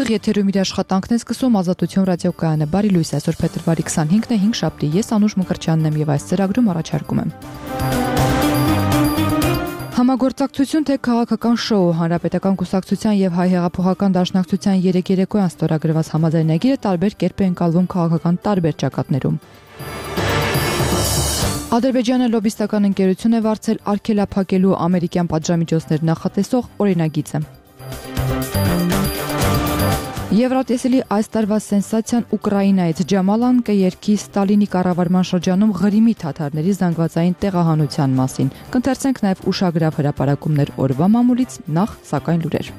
Ուղիղ եթերում իր աշխատանքն է սկսում Ազատություն ռադիոկայանը։ Բարի լույս, այսօր փետրվարի 25-ն է, 5 շաբթի։ Ես Անուշ Մկրտչյանն եմ եւ այս ծրագրում առաջարկում եմ Համագործակցություն թե քաղաքական շոու, Հանրապետական կուսակցության եւ Հայ հեղափոխական դաշնակցության 3 երեկոյան ստորագրված համաձայնագիրը տարբեր կերպ է ընկալվում քաղաքական տարբեր ճակատներում։ Ադրբեջանը լոբիստական ընկերություն է վարձել արգելափակելու ամերիկյան պատժամիջոցներ նախատեսող օրինագիծը։ Եվրատեսիլի այս տարվա սենսացիան Ուկրաինայից Ջամալան կերքի Ստալինի կառավարման շրջանում Ղրիմի թաթարների զանգվածային տեղահանության մասին։ Կընթերցենք նաև ուշագրավ հրապարակումներ օրվա մամուլից, նախ սակայն լուրեր։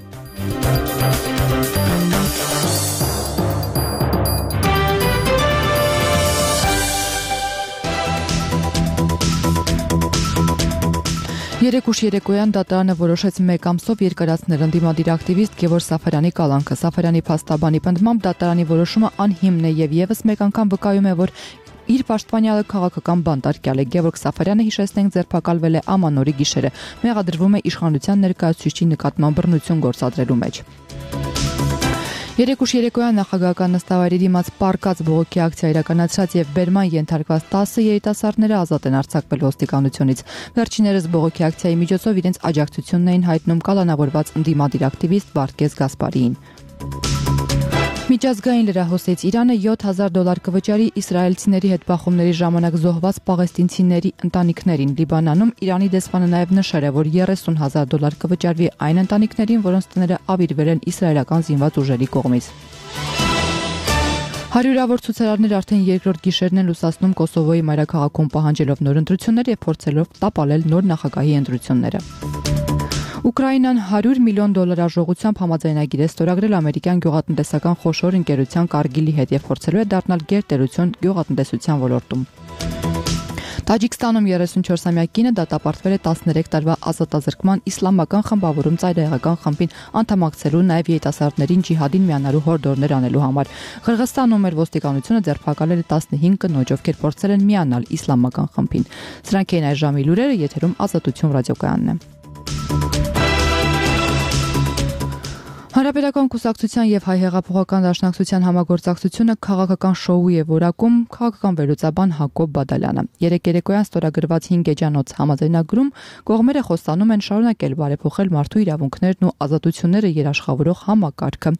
Երեկուշ երեկոյան դատարանը որոշեց 1 ամսով երկարացնել ընդդիմադիր ակտիվիստ Գևորգ Սաֆարյանի կալանքը։ Սաֆարյանի փաստաբանի պնդմամբ դատարանի որոշումը անհիմն է եւ եւս մեկ անգամ վկայում է, որ իր պաշտպանյալը քաղաքական բանտարկյալ է։ Գևորգ Սաֆարյանը, հիշեցնենք, ձերբակալվել է ամանորի գիշերը։ Մեղադրվում է իշխանության ներկայացուցիչի նկատմամբ բռնություն գործադրելու մեջ։ Երեկուշ երեկոյան նախագահական նստավայրի դիմաց պարկած բողոքի ակցիա իրականացրած եւ բերման ենթարկված 10 երիտասարդները ազատ են արձակվել ոստիկանությունից։ Վերջիներս բողոքի ակցիայի միջոցով իրենց աջակցությունն էին հայտնում կալանավորված ընդդիմադիր ակտիվիստ Վարդգես Գասպարիին։ Միջազգային լրահոսից Իրանը $7,000 կվճարի իսրայելցիների հետ բախումների ժամանակ զոհված պաղեստինցիների ընտանիքներին։ Լիբանանում Իրանի դեսպանը նաև նշել է, որ $30,000 կվճարվի այն ընտանիքներին, որոնց տները ավիրվել են իսրայելական զինված ուժերի կողմից։ Հարյուրավոր ցուցարարներ արդեն երկրորդ գիշերն են լուսացնում Կոսովոյի մայրաքաղաքում պահանջելով նոր ընտրություններ եւ փորձելով տապալել նոր նախագահի ընտրությունները։ Ուկրաինան $100 միլիոն արժողությամբ համաձայնագիր է ստորագրել ամերիկյան գյուղատնտեսական խոշոր ընկերության Կարգիլի հետ եւ փորձելու է դառնալ գերտերություն գյուղատնտեսության ոլորտում։ Տաջիկստանում 34-ամյա կինը դատապարտվել է 13 տարվա ազատազրկման իսլամական խմբավորում ծայրահեղական խմբին անդամակցելու նաև երիտասարդներին ջիհադին միանալու հորդորներ անելու համար։ Ղրղստանում մեր ոստիկանությունը ձերբակալել է 15 կնոջ, ովքեր փորձել են միանալ իսլամական խմբին։ Սրանք էին այս ժամի լուրերը, եթերում Ազատություն ռադիոկայանն է։ Հանրապետական կուսակցության եւ Հայ հեղափոխական դաշնակցության համագործակցությունը քաղաքական շոու է որակում քաղաքական վերլուծաբան Հակոբ Բադալյանը։ Երեկոյան ստորագրված 5 էջանոց համաձայնագրում կողմերը խոստանում են շարունակել բարեփոխել մարդու իրավունքներն ու ազատությունները երաշխավորող համակարգը,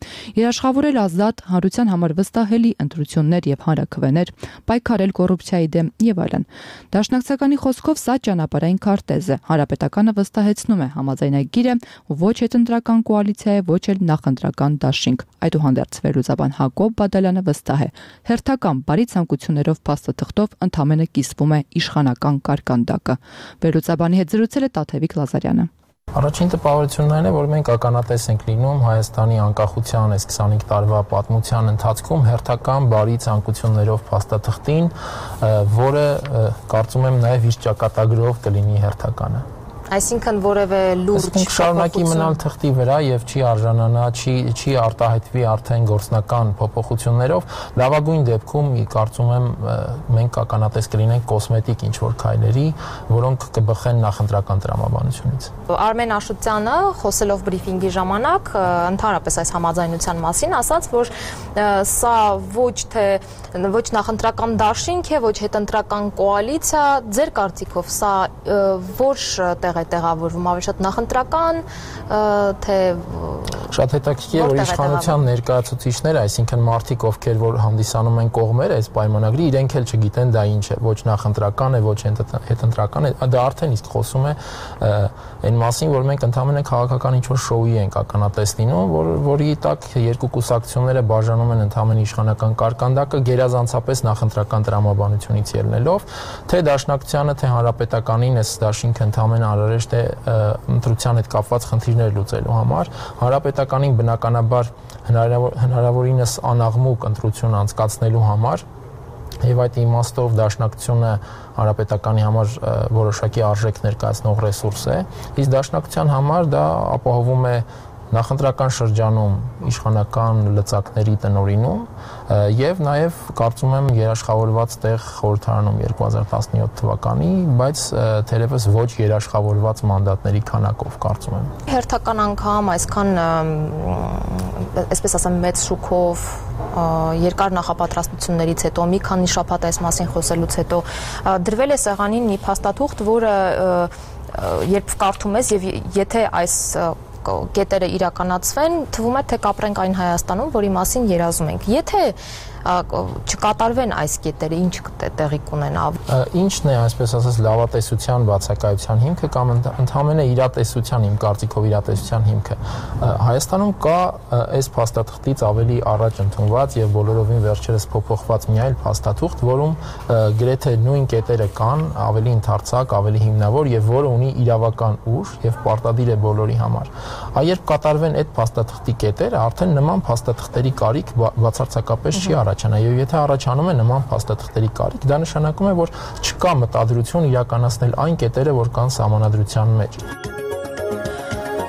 երաշխավորել ազատ, հանրության համար վստահելի ընտրություններ եւ հանրաքվեներ, պայքարել կոռուպցիայի դեմ եւ այլն։ Դաշնակցականի խոսքով սա ճանապարհային քարտեզ է։ Հանրապետականը վստահեցնում է համաձայնագիրը ոչ հետընտրական կոալիցիա է, ոչ էլ նախընտրական դաշինք։ Այդուհանդերձ վերլուծաբան Հակոբ Բադալյանը վստահ է, հերթական բարի ցանկություններով փաստաթղթով ընդամենը կիսվում է իշխանական կարկանդակը։ Վերլուծաբանի հետ զրուցել է Տաթևիկ Լազարյանը։ Առաջին տպավորությունն այն է, որ մենք ականատես ենք լինում Հայաստանի անկախության այս 25 տարվա պատմության ընթացքում հերթական բարի ցանկություններով փաստաթղթին, որը կարծում եմ նաև իր ճակատագրով կլինի հերթականը։ Այսինքն որևէ լուրջ շարունակի մնալ թղթի վրա եւ չի արժանանա, չի արտահայտվի արդեն գործնական փոփոխություններով, լավագույն դեպքում կարծում եմ մենք ականատես կլինենք կոսմետիկ ինչ-որ քայլերի, որոնք կբխեն նախընտրական տրամաբանությունից։ Արմեն Աշոտյանը խոսելով բրիֆինգի ժամանակ ընդհանրապես այս համաձայնության մասին ասաց, որ սա ոչ նախընտրական դաշինք է, ոչ հետընտրական կոալիցիա, ձեր կարծիքով սա որ տեղ տեղավորվում ավելի շատ նախընտրական, թե շատ հետաքրքիր է, որ իշխանության ներկայացուցիչները, այսինքն մարդիկ, ովքեր որ հանդիսանում են կողմերը այս պայմանագրի, իրենք էլ չգիտեն դա ինչ է, ոչ նախընտրական է, ոչ հետընտրական է, դա արդեն իսկ խոսում է այն մասին, որ մենք ընդհանրապես քաղաքական ինչ-որ շոուի ենք ականատես լինում, որի տակ երկու կուսակցությունները բաժանում են ընդհանրապես իշխանական կարկանդակը գերազանցապես նախընտրական տրամաբանությունից ելնելով, թե դաշնակցությանը, թե հանրապետականին այս դաշինքը ընդհանրապես անհրաժեշտ է ընտրության հետ կապված խնդիրներ լուծելու համար, հանրապետականին բնականաբար հնարավորինս անաղմուկ ընտրություն անցկացնելու համար եւ այդ իմաստով դաշնակցությունը հանրապետականի համար որոշակի արժեք ներկայացնող ռեսուրս է, իսկ դաշնակցության համար դա ապահովում է նախընտրական շրջանում իշխանական լծակների տնօրինում եւ նաեւ կարծում եմ երաշխավորված տեղ խորհրդարանում 2017 թվականի, բայց թերևս ոչ երաշխավորված մանդատների քանակով կարծում եմ։ Հերթական անգամ այսքան այսպես ասեմ մեծ շուկով երկար նախապատրաստություններից հետո մի քանի շաբաթ այս մասին խոսելուց հետո դրվել է սեղանին մի փաստաթուղթ, որը երբ կարդում ես եւ եթե այս կետերը իրականացվեն, թվում է թե կապրենք այն Հայաստանում, որի մասին երազում ենք։ Եթե չկատարվեն այս կետերը, ինչ տեղի կունենա։ Ինչն է, այսպես ասած, լավատեսության բացակայության հիմքը կամ ընդհանրապես իրատեսության, իմ կարծիքով իրատեսության հիմքը։ Հայաստանում կա այս փաստաթղթից ավելի առաջ ընդունված եւ բոլորովին վերջերս փոփոխված մի այլ փաստաթուղթ, որում գրեթե նույն կետերը կան, ավելի ընդարձակ, ավելի հիմնավոր եւ որը ունի իրավական ուժ եւ պարտադիր է բոլորի համար։ Երբ կատարվեն այդ փաստաթղթի կետերը, արդեն նման փաստաթղթերի կարիք բացարձակապես չի առաջանա, եւ եթե առաջանում է նման փաստաթղթերի կարիք, դա նշանակում է, որ չկա մտադրություն իրականացնել այն կետերը, որ կան սահմանադրության մեջ։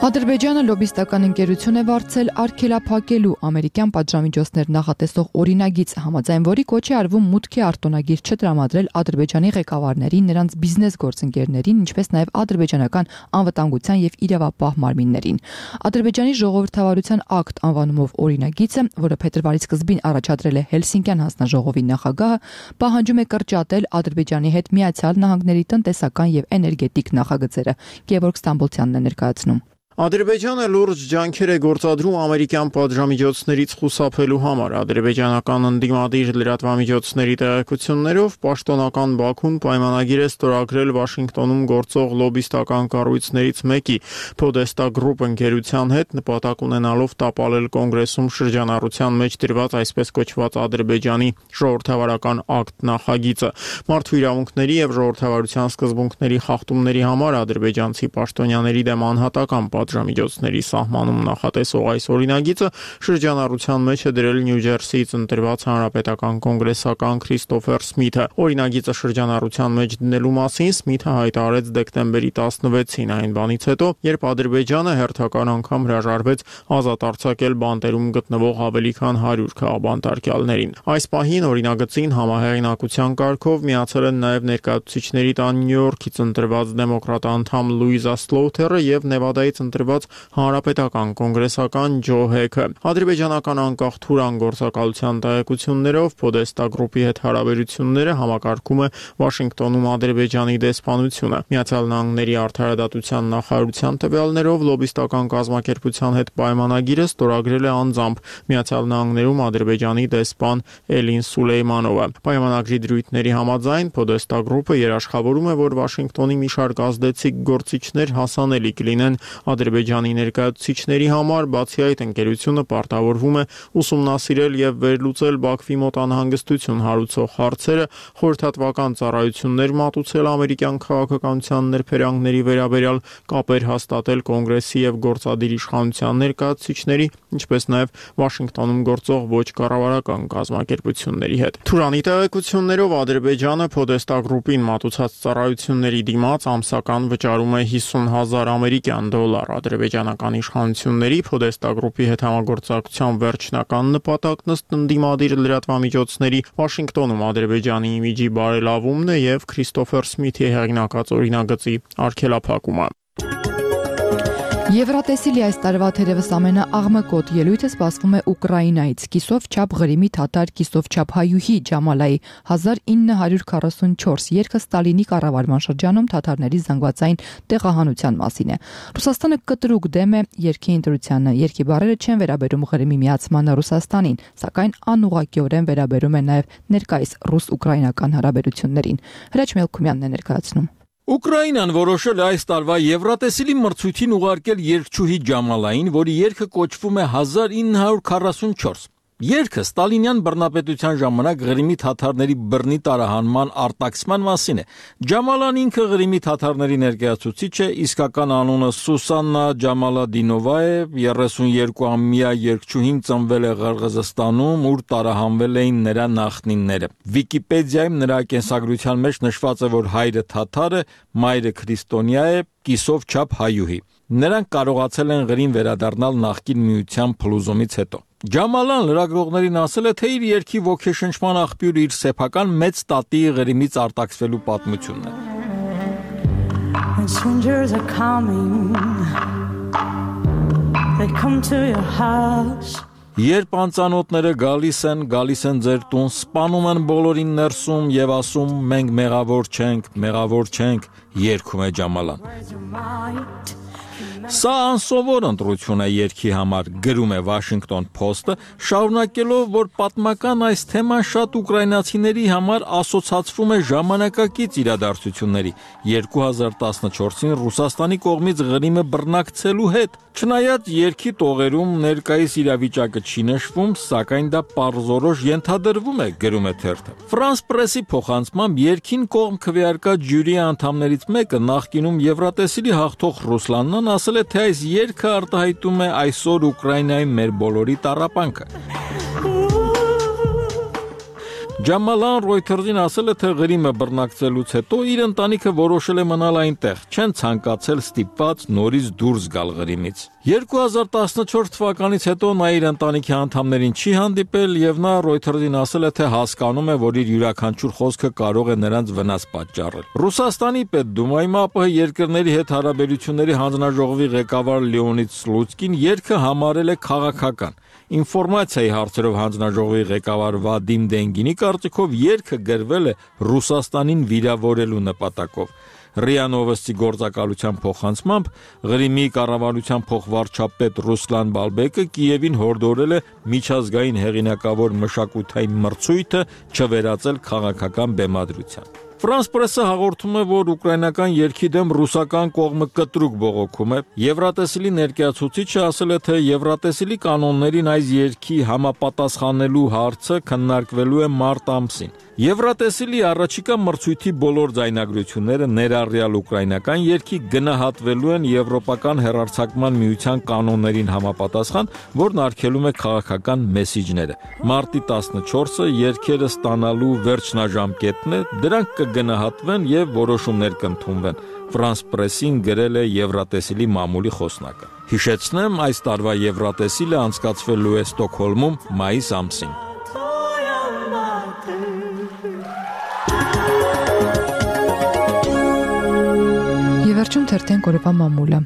Ադրբեջանը լոբիստական ընկերություն է վարձել արգելափակելու ամերիկյան պատժամիջոցներ նախատեսող օրինագիծ, համաձայն որի կոչ է արվում մուտքի արտոնագիր չտրամադրել Ադրբեջանի ղեկավարներին, նրանց բիզնես գործընկերներին, ինչպես նաև ադրբեջանական անվտանգության եւ իրավապահ մարմիններին։ Ադրբեջանի ժողովրդավարության ակտ անվանումով օրինագիծը, որը փետրվարի սկզբին առաջադրել է Հելսինկյան հանձնաժողովի նախագահը, պահանջում է կրճատել Ադրբեջանի հետ Միացյալ Նահանգների տնտեսական եւ էներգետիկ նախագծերը։ Գևորգ Ստամբոլցյանն է ներկայացնում։ Ադրբեջանը լուրջ ջանքեր է գործադրում ամերիկյան պատժամիջոցներից խուսափելու համար։ Ադրբեջանական ընդդիմադիր լրատվամիջոցների տեղեկություններով պաշտոնական Բաքուն պայմանագիր է ստորագրել Վաշինգտոնում գործող լոբիստական կառույցներից մեկի Podesta Group ընկերության հետ, նպատակ ունենալով տապալել կոնգրեսում շրջանառության մեջ դրված այսպես կոչված Ադրբեջանի ժողովրդավարական ակտ նախագիծը։ Մարդու իրավունքների եւ ժողովրդավարության սկզբունքների խախտումների համար ադրբեջանցի պաշտոնյաների դեմ անհատական պատժամիջոցների սահմանում նախատեսող այս օրինագիծը շրջանառության մեջ է դրել Նյու Ջերսիից ընտրված հանրապետական կոնգրեսական Քրիստոֆեր Սմիթը։ Օրինագիծը շրջանառության մեջ դնելու մասին Սմիթը հայտարարեց դեկտեմբերի 16-ին, այն բանից հետո, երբ Ադրբեջանը հերթական անգամ հրաժարվեց ազատ արձակել բանտերում գտնվող ավելի քան 100 քաղաքբանտարկյալներին։ Այս պահին օրինագծին համահեղինակության կարգով միացել են նաև ներկայացուցիչների տան Նյու Յորքից ընտրված դեմոկրատ անդամ Լուիզա Սլոութերը եւ Նևադայից ընտրված հանրապետական կոնգրեսական Ջո Հեքը։ Ադրբեջանական անկախ Թուրան գործակալության տեղեկություններով Podesta Group-ի հետ հարաբերությունները համակարգում է Վաշինգտոնում Ադրբեջանի դեսպանությունը։ Միացյալ Նահանգների արդարադատության նախարարության տվյալներով լոբիստական կազմակերպության հետ պայմանագիրը ստորագրել է անձամբ Միացյալ Նահանգներում Ադրբեջանի դեսպան Էլին Սուլեյմանովը։ Պայմանագրի դրույթների համաձայն Podesta Group-ը երաշխավորում է, որ Վաշինգտոնի մի շարք ազդեցիկ գործիչներ հասանելի կլինեն Ադրբեջանի ներկայացուցիչների համար, բացի այդ ընկերությունը պարտավորվում է ուսումնասիրել եւ վերլուծել Բաքվի մոտ անհանգստություն հարուցող հարցերը, խորհրդատվական ծառայություններ մատուցել ամերիկյան քաղաքականության ներფերյունների վերաբերյալ, կապեր հաստատել կոնգրեսի եւ գործադիր իշխանության ներկայացուցիչների, ինչպես նաեւ Վաշինգտոնում գործող ոչ կառավարական կազմակերպությունների հետ։ Թուրանի տեղեկություններով Ադրբեջանը Podesta Group-ին մատուցած ծառայությունների դիմաց ամսական վճարում է $50,000 ամերիկյան դոլար։ Ադրբեջանական իշխանությունների Podesta Group-ի հետ համագործակցության վերջնական նպատակն ըստ ընդդիմադիր լրատվամիջոցների Վաշինգտոնում Ադրբեջանի իմիջի բարելավումն է եւ Քրիստոֆեր Սմիթի հեղինակած օրինագծի արգելափակումը։ Եվրատեսիլի այս տարվա թերևս ամենաաղմկոտ ելույթը սպասվում է Ուկրաինայից։ Կիսով չափ Ղրիմի թաթար, կիսով չափ հայուհի Ջամալայի 1944 երգը Ստալինի կառավարման շրջանում թաթարների զանգվածային տեղահանության մասին է։ Ռուսաստանը կտրուկ դեմ է երգի ընտրությանը։ Երգի բառերը չեն վերաբերում Ղրիմի միացմանը Ռուսաստանին, սակայն անուղղակիորեն վերաբերում են նաև ներկայիս ռուս-ուկրաինական հարաբերություններին։ Հրաչ Մելքումյանն է ներկայացնում։ Ուկրաինան որոշել է այս տարվա Եվրատեսիլի մրցույթին ուղարկել երգչուհի Ջամալային, որի երգը կոչվում է 1944։ Երգը Ստալինյան բռնապետության ժամանակ Ղրիմի թաթարների բռնի տարահանման արտաքսման մասին է։ Ջամալան ինքը Ղրիմի թաթարների ներկայացուցիչ է, իսկական անունը Սուսաննա Ջամալադինովա է, 32-ամյա երգչուհին ծնվել է Ղրղզստանում, ուր տարահանվել էին նրա նախնիները։ Վիկիպեդիայում նրա կենսագրության մեջ նշված է, որ հայրը թաթար է, մայրը քրիստոնյա է, կիսով չափ հայուհի։ Նրանք կարողացել են գրին վերադառնալ նախկին միության փլուզումից հետո։ Ջամալան լրագրողներին ասել է, թե իր երգի ոգեշնչման աղբյուրը իր սեփական մեծ տատի Ղրիմից արտաքսվելու պատմությունն է։ And strangers are coming. They come to your house. Երբ անծանոթները գալիս են ձեր տուն, սպանում են բոլորին ներսում եւ ասում մենք մեղավոր չենք, երգում է Ջամալան։ Սա անսովոր ընտրություն է երգի համար, գրում է Washington Post-ը, շարունակելով, որ պատմական այս թեման շատ ուկրաինացիների համար ասոցացվում է ժամանակակից իրադարձությունների 2014-ին Ռուսաստանի կողմից Ղրիմը բռնակցելու հետ։ Չնայած երգի տողերում ներկայիս իրավիճակը չի նշվում, սակայն դա պարզորոշ ենթադրվում է, գրում է թերթը։ France Press-ի փոխանցմամբ երգին կողմ քվեարկած ժյուրի անդամներից մեկը նախկինում Եվրատեսիլի հաղթող Ռուսլանն ասել է, թե այս երգը արտահայտում է այսօր Ուկրաինայի մեր բոլորի տառապանքը։ Ջամալան Reuters-ին ասել է, թե Ղրիմը բռնակցելուց հետո իր ընտանիքը որոշել է մնալ այնտեղ, չեն ցանկացել ստիպված նորից դուրս գալ Ղրիմից։ 2014 թվականից հետո նա իր ընտանիքի անդամներին չի հանդիպել եւ նա Reuters-ին ասել է, թե հասկանում է, որ իր յուրաքանչյուր խոսքը կարող է նրանց վնաս պատճառել։ Ռուսաստանի Պետդումայում ԱՊՀ երկրների հետ հարաբերությունների հանձնաժողովի ղեկավար Լեոնիդ Սլուցկին երգը համարել է քաղաքական։ Ինֆորմացիայի հարցերով հանձնաժողովի ղեկավար Վադիմ Դենգինի կարծիքով երգը գրվել է Ռուսաստանին վիրավորելու նպատակով։ ՌԻԱ Նովոստի գործակալության փոխանցմամբ Ղրիմի կառավարության փոխվարչապետ Ռուսլան Բալբեկը Կիևին հորդորել է միջազգային հեղինակավոր մշակութային մրցույթը չվերածել քաղաքական բեմադրության։ France Press-ը հաղորդում է, որ ուկրաինական երգի դեմ ռուսական կողմը կտրուկ բողոքում է։ Եվրատեսիլի ներկայացուցիչը ասել է, թե Եվրատեսիլի կանոններին այս երգի համապատասխանելու հարցը քննարկվելու է մարտ ամսին։ Եվրատեսիլի առաջիկա մրցույթի բոլոր ձայնագրությունները ներառյալ ուկրաինական երգի գնահատվելու են Եվրոպական հեռարձակման միության կանոններին համապատասխան, որն արգելում է քաղաքական մեսիջները։ Մարտի 14-ը երգերը ստանալու վերջնաժամկետն է, դրանք կգնահատվեն եւ որոշումներ կընդունվեն։ France Press-ին գրել է Եվրատեսիլի մամուլի խոսնակը։ Հիշեցնեմ, այս տարվա Եվրատեսիլը անցկացվելու է Ստոկհոլմում մայիս ամսին։ Վերջում թերթեն կորովա մամուլը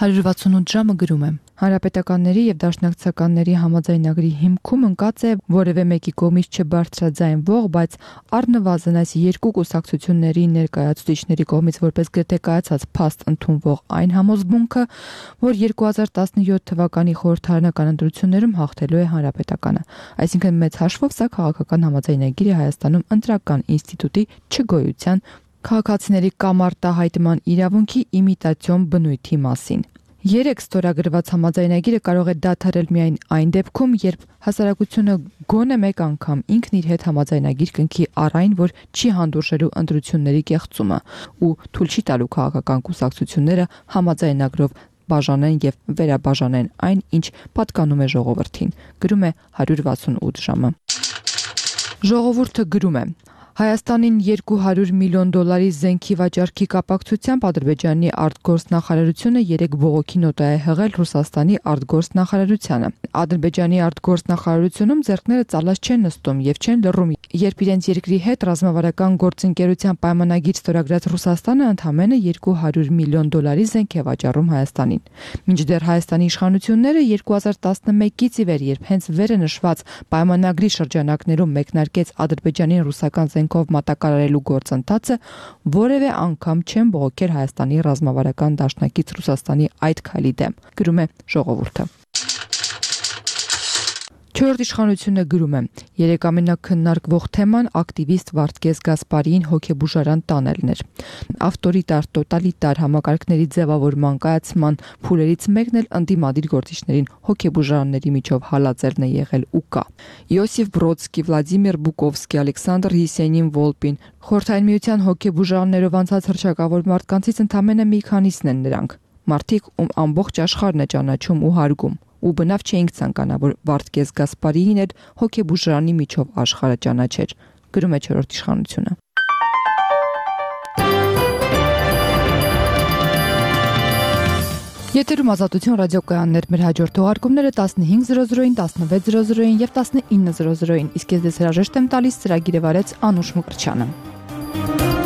168 ժամը գրում է Հանրապետականների եւ դաշնակցականների համաձայնագրի հիմքում ընկած է որևէ մեկի կողմից չբարձրաձայնվող, բայց առնվազն այս երկու կուսակցությունների ներկայացուցիչների կողմից որպես գրթե կայացած փաստ ընդունվող այն համոզմունքը, որ 2017 թվականի խորհրդարանական ընտրություններում հաղթելու է Հանրապետականը։ Այսինքն մեծ հաշվով սա քաղաքական համաձայնագիր է Հայաստանում ընտրական ինստիտուտի չգոյության քաղաքացիների կամարտահայտման իրավունքի իմիտացիոն բնույթի մասին։ 3 ստորագրված համաձայնագիրը կարող է դադարել միայն այն դեպքում, երբ հասարակությունը գոնե մեկ անգամ ինքն իր հետ համաձայնագիր կնքի առ այն, որ չի հանդուրժելու ընտրությունների կեղծումը ու թույլ չի տալու քաղաքական կուսակցությունները համաձայնագրով բաժանեն եւ վերաբաժանեն այն, ինչ պատկանում է ժողովրդին։ Գրում է 168 ժամը։ Ժողովուրդը գրում է. Հայաստանին $200 միլիոն զենքի վաճառքի կապակցությամբ Ադրբեջանի արտգործնախարարությունը 3 բողոքի նոտա է հղել Ռուսաստանի արտգործնախարարությանը։ Ադրբեջանի արտգործնախարարությունում ձեռքները ծալած չեն նստում եւ չեն լռում, երբ իրենց երկրի հետ ռազմավարական գործընկերության պայմանագիր ստորագրած Ռուսաստանը ընդամենը $200 միլիոն զենք է վաճառում Հայաստանին։ Մինչդեռ Հայաստանի իշխանությունները 2011-ից ի վեր, երբ հենց վերը նշված պայմանագրի շրջանակներում մեկնարկեց Ադրբեջանին ռուսական զենքով մատակարարելու գործընթացը, որևէ անգամ չեն բողոքել Հայաստանի ռազմավարական դաշնակից Ռուսաստանի այդ քայլի դեմ, գրում է ժողովուրդը։ Չորրորդ իշխանությունը գրում է. 3 ամենակննարկվող թեման ակտիվիստ Վարդգես Գասպարիին հոգեբուժարան տանելն էր։ Ավտորիտար, տոտալիտար համակարգների ձևավորման կայացման փուլերից մեկն էլ ընդդիմադիր գործիչներին հոգեբուժարանների միջով հալածելն է եղել ու կա։ Յոսիֆ Բրոդսկի, Վլադիմիր Բուկովսկի, Ալեքսանդր Եսենին Վոլպին, Խորհրդային միության հոգեբուժարաններով անցած հռչակավոր մարդկանցից ընդամենը մի քանիսն են նրանք։ Մարդիկ, ում ամբողջ աշխարհն է ճանաչում ու հարգում։ Ու բնավ չէինք ցանկանա, որ Վարդգես Գասպարիին էր հոգեբուժարանի միջով աշխարհը ճանաչեր, գրում է 4-րդ իշխանությունը։ Եթերում ազատություն ռադիոկայաններ, մեր հաջորդ թողարկումները 15:00-ին, 16:00-ին եւ 19:00-ին։ Իսկ ես դες հրաժեշտ եմ տալիս ծրագիրը վարեց Անուշ Մկրտչյանը։